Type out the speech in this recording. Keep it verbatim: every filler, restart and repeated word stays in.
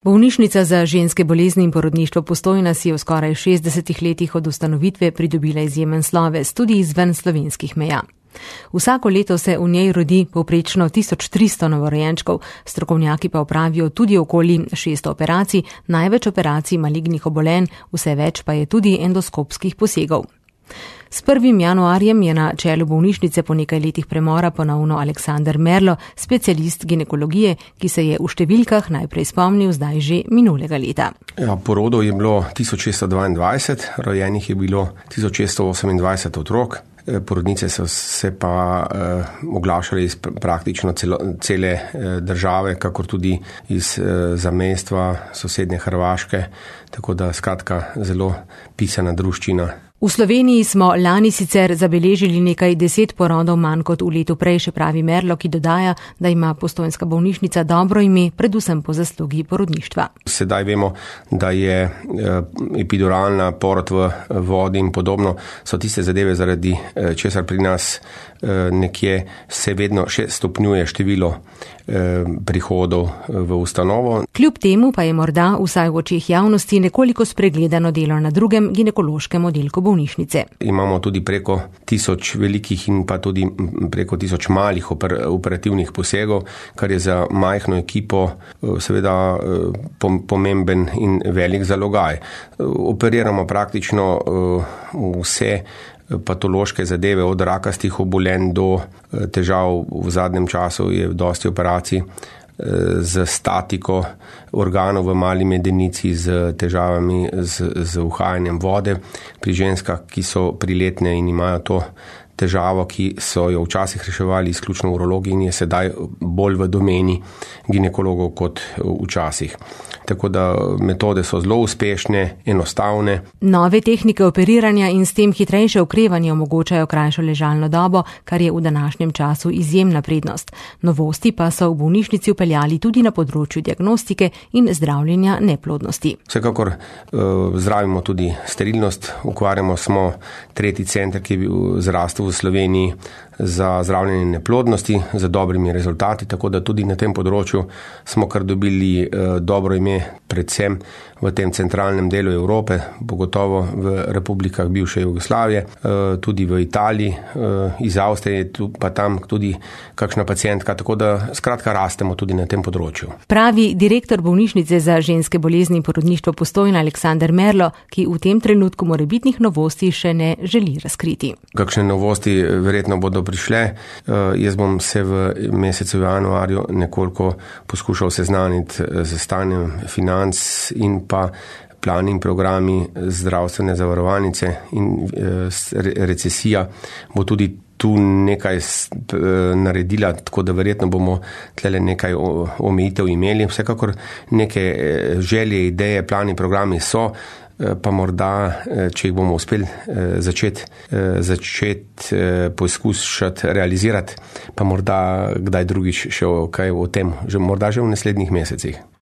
Bolnišnica za ženske bolezni in porodništvo Postojna si je v skoraj šestdesetih letih od ustanovitve pridobila izjemen sloves tudi izven slovenskih meja. Vsako leto se v njej rodi povprečno tisoč tristo novorojenčkov, strokovnjaki pa opravijo tudi okoli šeststo operacij, največ operacij malignih obolenj, vse več pa je tudi endoskopskih posegov. S prvim januarjem je na čelu bolnišnice po nekaj letih premora ponovno Aleksander Merlo, specialist ginekologije, ki se je v številkah najprej spomnil zdaj že minulega leta. Ja, porodov je bilo tisoč šeststo dvaindvajset, rojenih je bilo tisoč šeststo osemindvajset otrok. Porodnice so se pa eh, oglašali iz praktično celo, cele eh, države, kakor tudi iz eh, zamejstva sosednje Hrvaške, tako da skratka zelo pisana druščina. V Sloveniji smo lani sicer zabeležili nekaj deset porodov manj kot v letu prej, še pravi Merlo, ki dodaja, da ima postojnska bolnišnica dobro ime, predvsem po zaslugi porodništva. Sedaj vemo, da je epiduralna porod v vodi in podobno, so tiste zadeve, zaradi česar pri nas nekje se vedno še stopnjuje število prihodov v ustanovo. Kljub temu pa je morda vsaj v očeh javnosti nekoliko spregledano delo na drugem ginekološkem oddelku bolnišnice. Imamo tudi preko tisoč velikih in pa tudi preko tisoč malih oper, operativnih posegov, kar je za majhno ekipo seveda pomemben in velik zalogaj. Operiramo praktično vse patološke zadeve, od rakastih obolenj do težav. V zadnjem času je dosti operacij z statiko organov v mali medenici, z težavami z, z uhajanjem vode pri ženskah, ki so priletne in imajo to težavo, ki so jo včasih reševali izključno urologi in je sedaj bolj v domeni ginekologov kot včasih. Tako da metode so zelo uspešne, enostavne. Nove tehnike operiranja in s tem hitrejše okrevanje omogočajo krajšo ležalno dobo, kar je v današnjem času izjemna prednost. Novosti pa so v bolnišnici vpeljali tudi na področju diagnostike in zdravljenja neplodnosti. Vsekakor uh, zdravimo tudi sterilnost. Ukvarjamo smo tretji center, ki je bil zrastel v Sloveniji za zdravljenje neplodnosti, za dobrimi rezultati, tako da tudi na tem področju smo kar dobili uh, dobro ime, predvsem v tem centralnem delu Evrope, pogotovo v republikah bivše Jugoslavije, tudi v Italiji, iz Avstrije, pa tam tudi kakšna pacientka, tako da skratka rastemo tudi na tem področju. Pravi direktor bolnišnice za ženske bolezni in porodništvo Postojna Aleksander Merlo, ki v tem trenutku morebitnih novosti še ne želi razkriti. Kakšne novosti verjetno bodo prišle. Jaz bom se v mesecu januarju nekoliko poskušal seznaniti z stanjem financ in pa plani in programi zdravstvene zavarovalnice in recesija bo tudi tu nekaj naredila, tako da verjetno bomo tlele nekaj omejitev imeli. Vsekakor neke želje, ideje, plani, programi so, pa morda, če jih bomo uspeli začeti, začeti poskušati realizirati, pa morda kdaj drugič še kaj o tem, že morda že v naslednjih mesecih.